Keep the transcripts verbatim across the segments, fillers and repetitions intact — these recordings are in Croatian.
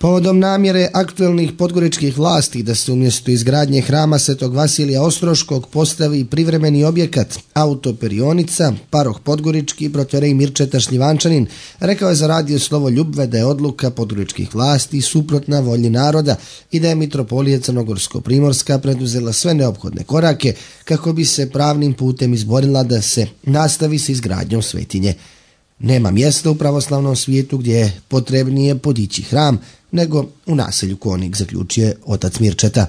Povodom namjere aktuelnih podgoričkih vlasti da se umjesto izgradnje hrama Svetog Vasilija Ostroškog postavi privremeni objekat autoperionica, paroh Podgorički protorej Mirčeta Šljivančanin rekao je za radio Slovo Ljubve da je odluka podgoričkih vlasti suprotna volji naroda i da je mitropolija Crnogorsko-primorska preduzela sve neophodne korake kako bi se pravnim putem izborila da se nastavi s izgradnjom svetinje. Nema mjesta u pravoslavnom svijetu gdje je potrebnije podići hram nego u naselju Konik, zaključuje otac Mirčeta.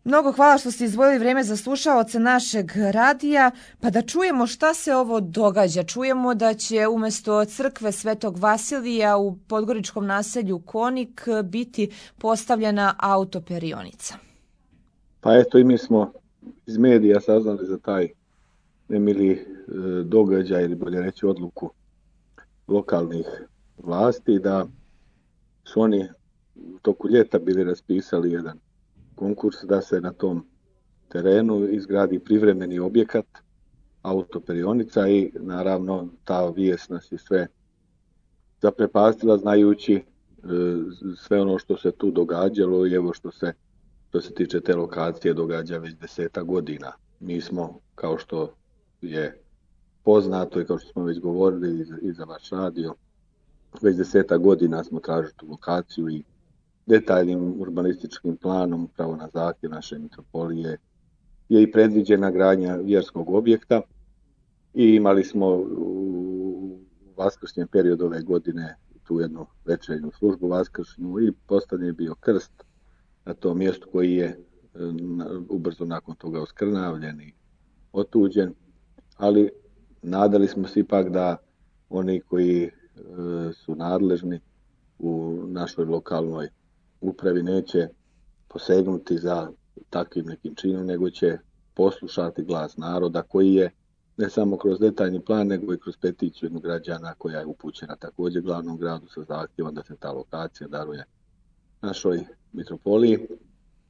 Mnogo hvala što ste izdvojili vrijeme za slušaoce našeg radija, pa da čujemo šta se ovo događa. Čujemo da će umjesto crkve Svetog Vasilija u podgoričkom naselju Konik biti postavljena autoperionica. Pa eto i mi smo iz medija saznali za taj nemili e, događaj ili bolje reći odluku lokalnih vlasti da su oni u toku ljeta bili raspisali jedan konkurs da se na tom terenu izgradi privremeni objekat autoperionica i naravno ta vijest nas je sve zaprepastila znajući e, sve ono što se tu događalo i evo što se što se tiče te lokacije događa već deseta godina. Mi smo, kao što je poznato i kao što smo već govorili i za, i za vaš radio, već deseta godina smo tražili tu lokaciju i detaljnim urbanističkim planom upravo na zahtjev naše mitropolije je i predviđena gradnja vjerskog objekta i imali smo u vaskršnjem periodu ove godine tu jednu večernju službu vaskršnju i postavljen je bio krst na tom mjestu koji je ubrzo nakon toga oskrnavljen i otuđen, ali nadali smo se ipak da oni koji e, su nadležni u našoj lokalnoj upravi neće posegnuti za takvim nekim činom, nego će poslušati glas naroda koji je ne samo kroz detaljni plan, nego i kroz peticiju jednog građana koja je upućena također glavnom gradu sa zahtjevom da se ta lokacija daruje našoj mitropoliji.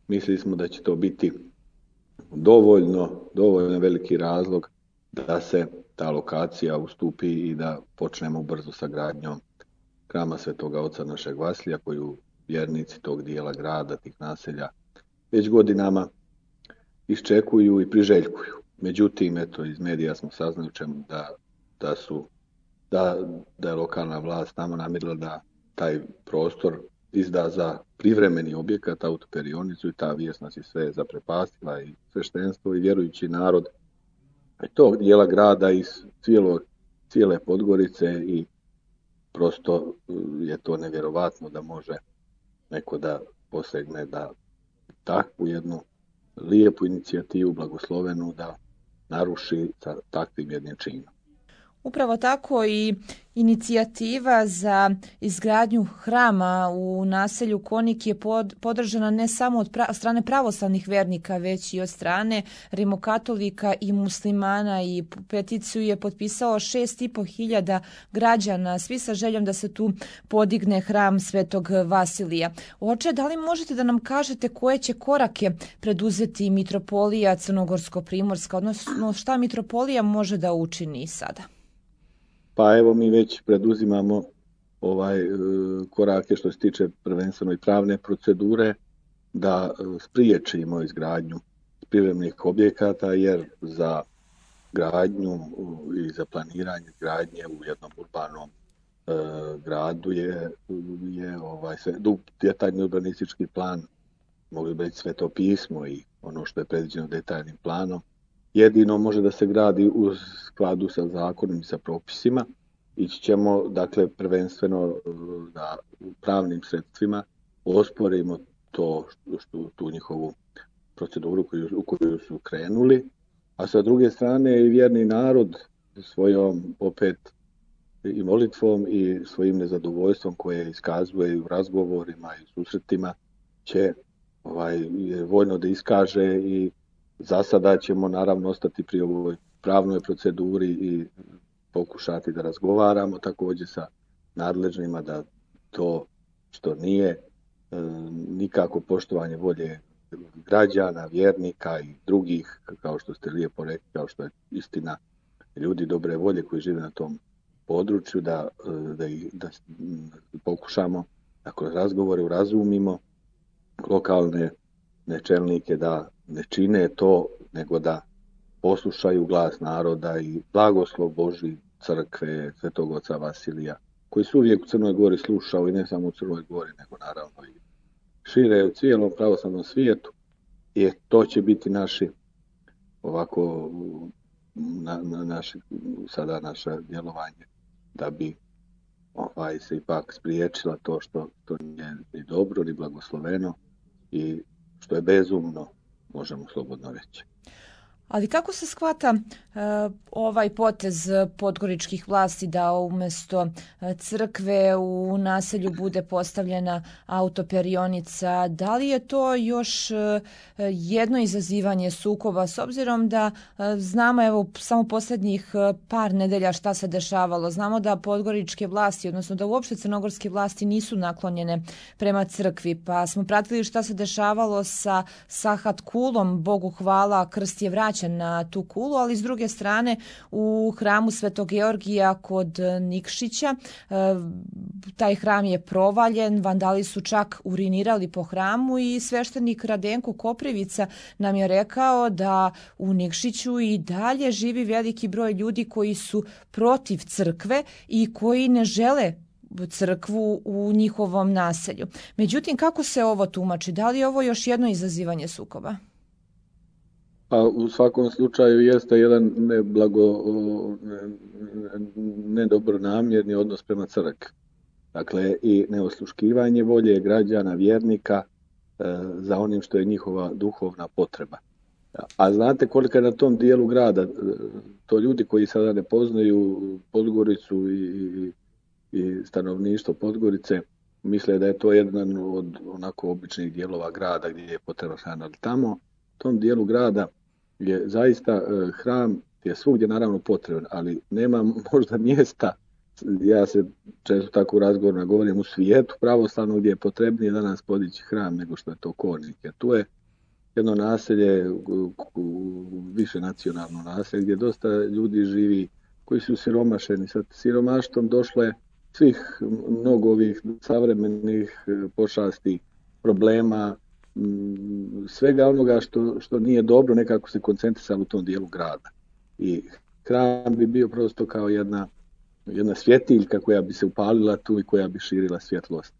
Mislili smo da će to biti dovoljno, dovoljno veliki razlog da se ta lokacija ustupi i da počnemo brzo sa gradnjom hrama Svetoga Oca našeg Vasilija koju vjernici tog dijela grada, tih naselja već godinama iščekuju i priželjkuju. Međutim, eto, iz medija smo saznali da, da, su, da, da je lokalna vlast tamo namirila da taj prostor izda za privremeni objekat, autoperionicu i ta vijest nas je sve zaprepastila i sveštenstvo i vjerujući narod tog dijela grada iz cijelo, cijele Podgorice i prosto je to nevjerovatno da može neko da posegne da takvu jednu lijepu inicijativu, blagoslovenu, da naruši sa takvim jednim činom. Upravo tako i inicijativa za izgradnju hrama u naselju Konik je pod, podržana ne samo od pra, strane pravoslavnih vernika, već i od strane rimokatolika i muslimana i peticiju je potpisalo šest i po hiljada građana, svi sa željom da se tu podigne hram Svetog Vasilija. Oče, da li možete da nam kažete koje će korake preduzeti mitropolija Crnogorsko-primorska, odnosno šta mitropolija može da učini sada? Pa evo mi već preduzimamo ovaj e, korake što se tiče prvenstveno i pravne procedure da e, spriječimo izgradnju privremenih objekata jer za gradnju i za planiranje gradnje u jednom urbanom e, gradu je, je ovaj sve, detaljni urbanistički plan, mogli bi reći Sveto pismo i ono što je predviđeno detaljnim planom. Jedino može da se gradi u skladu sa zakonom i sa propisima. Ići ćemo, dakle, prvenstveno da pravnim sredstvima osporimo to što, što, tu njihovu proceduru koju, u koju su krenuli, a sa druge strane i vjerni narod svojom opet i molitvom i svojim nezadovoljstvom koje iskazuje u razgovorima i susretima će ovaj, voljno da iskaže i za sada ćemo naravno ostati pri ovoj pravnoj proceduri i pokušati da razgovaramo također sa nadležnima da to što nije e, nikako poštovanje volje građana, vjernika i drugih, kao što ste lijepo rekli, kao što je istina ljudi dobre volje koji žive na tom području, da, da, da, da pokušamo da kroz razgovore urazumimo lokalne čelnike da ne čine to, nego da poslušaju glas naroda i blagoslov Božji, crkve, Svetog oca Vasilija, koji su uvijek u Crnoj Gori slušao, i ne samo u Crnoj Gori, nego naravno i šire u cijelom pravoslavnom svijetu. I to će biti naši ovako na, na naši, sada naše djelovanje, da bi ovaj, se ipak spriječila to što, što nije ni dobro, ni blagosloveno i što je bezumno, možemo slobodno reći. Ali kako se shvata uh, ovaj potez podgoričkih vlasti da umjesto crkve u naselju bude postavljena autoperionica? Da li je to još uh, jedno izazivanje sukoba, s obzirom da uh, znamo evo samo posljednjih uh, par nedelja šta se dešavalo? Znamo da podgoričke vlasti, odnosno da uopšte crnogorske vlasti nisu naklonjene prema crkvi, pa smo pratili šta se dešavalo sa Sahat kulom, Bogu hvala, krst je vraćen na tu kulu, ali s druge strane u hramu Svetog Georgija kod Nikšića taj hram je provaljen, vandali su čak urinirali po hramu i sveštenik Radenko Koprivica nam je rekao da u Nikšiću i dalje živi veliki broj ljudi koji su protiv crkve i koji ne žele crkvu u njihovom naselju. Međutim, kako se ovo tumači? Da li je ovo još jedno izazivanje sukoba? Pa u svakom slučaju jeste jedan neblago, nedobronamjerni odnos prema crkvi. Dakle, i neosluškivanje volje građana, vjernika e, za onim što je njihova duhovna potreba. A znate koliko je na tom dijelu grada, to ljudi koji sada ne poznaju Podgoricu i, i, i stanovništvo Podgorice, misle da je to jedan od onako običnih dijelova grada gdje je potrebno hrana. Ali tamo, u tom dijelu grada, je zaista eh, hram je svugdje naravno potreban, ali nema možda mjesta, ja se često tako u razgovorima govorim, u svijetu pravoslavno gdje je potrebnije danas podići hram nego što je to Kornik. Jer tu je jedno naselje, više nacionalno naselje, gdje dosta ljudi živi koji su siromašeni. Sa siromaštvom došlo je svih mnogo ovih savremenih pošasti, problema, svega onoga što, što nije dobro, nekako se koncentrisalo u tom dijelu grada. I hram bi bio prosto kao jedna, jedna svjetiljka koja bi se upalila tu i koja bi širila svjetlost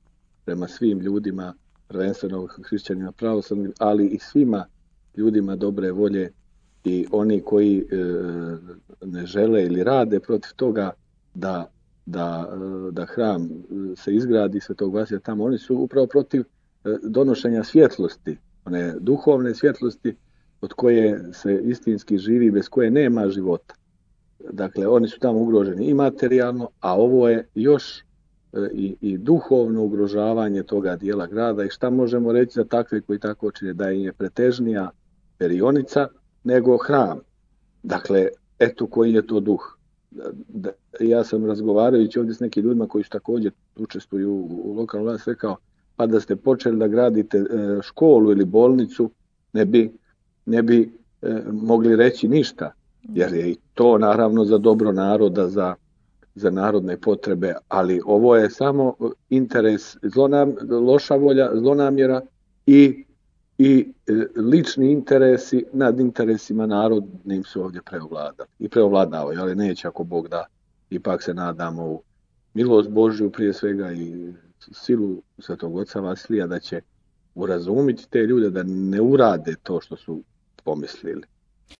prema svim ljudima, prvenstveno hrišćanima pravoslavnim, ali i svima ljudima dobre volje i oni koji e, ne žele ili rade protiv toga da, da, da hram se izgradi Svetog Vasilija tamo. Oni su upravo protiv donošenja svjetlosti, one duhovne svjetlosti od koje se istinski živi, bez koje nema života. Dakle, oni su tamo ugroženi i materijalno, a ovo je još i, i duhovno ugrožavanje toga dijela grada. I šta možemo reći za takve koji tako čine, da im je pretežnija perionica nego hram. Dakle, eto koji je to duh. Da, ja sam razgovarajući ovdje s nekim ljudima koji su također učestvuju u, u lokalnoj vlasti rekao, pa da ste počeli da gradite školu ili bolnicu, ne bi, ne bi e, mogli reći ništa, jer je i to naravno za dobro naroda, za, za narodne potrebe, ali ovo je samo interes, zlonam, loša volja, zlonamjera i, i e, lični interesi nad interesima narodnim su ovdje preovladali i preovladavaju, ali neće ako Bog da, ipak se nadamo u milost Božju prije svega i silu Svetog oca Vasilija da će urazumiti te ljude da ne urade to što su pomislili.